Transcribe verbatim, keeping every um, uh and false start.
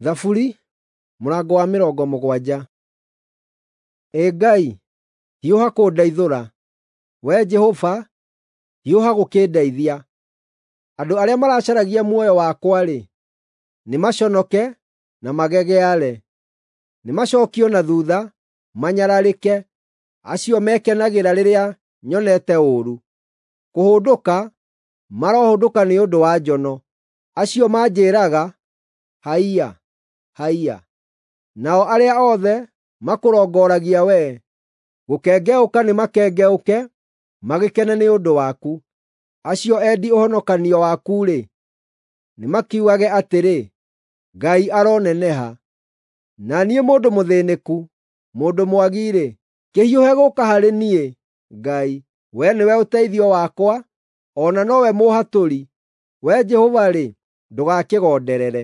Thaburi mũrango wa mĩrongo mũgwanja. Ĩ Ngai, hiũha kũndeithũra; Wee Jehova, hiũha gũkĩndeithia. Andũ arĩa maracaragia muoyo wakwa-rĩ, nĩmaconoke na magegeare; nĩmacookio na thuutha, manyararĩke, acio mekenagĩra rĩrĩa nyonete ũũru. Kũhũndũka marohũndũka nĩ ũndũ wa njono, acio manjĩĩraga, “Haiya! Haiya!” Nao arĩa othe makũrongoragia wee, gũkengeũka nĩmakengeũke, magĩkene nĩ ũndũ waku. Acio endi ũhonokanio waku-rĩ, nĩmakiugage atĩrĩ, “Ngai aroneneha!” Na niĩ mũndũ mũthĩnĩku, mũndũ mwagi-rĩ, kĩhiũhe gũũka harĩ niĩ, Ngai. Wee nĩwe ũteithio wakwa, o na nowe mũũhatũri; Wee Jehova-rĩ, ndũgakĩgonderere.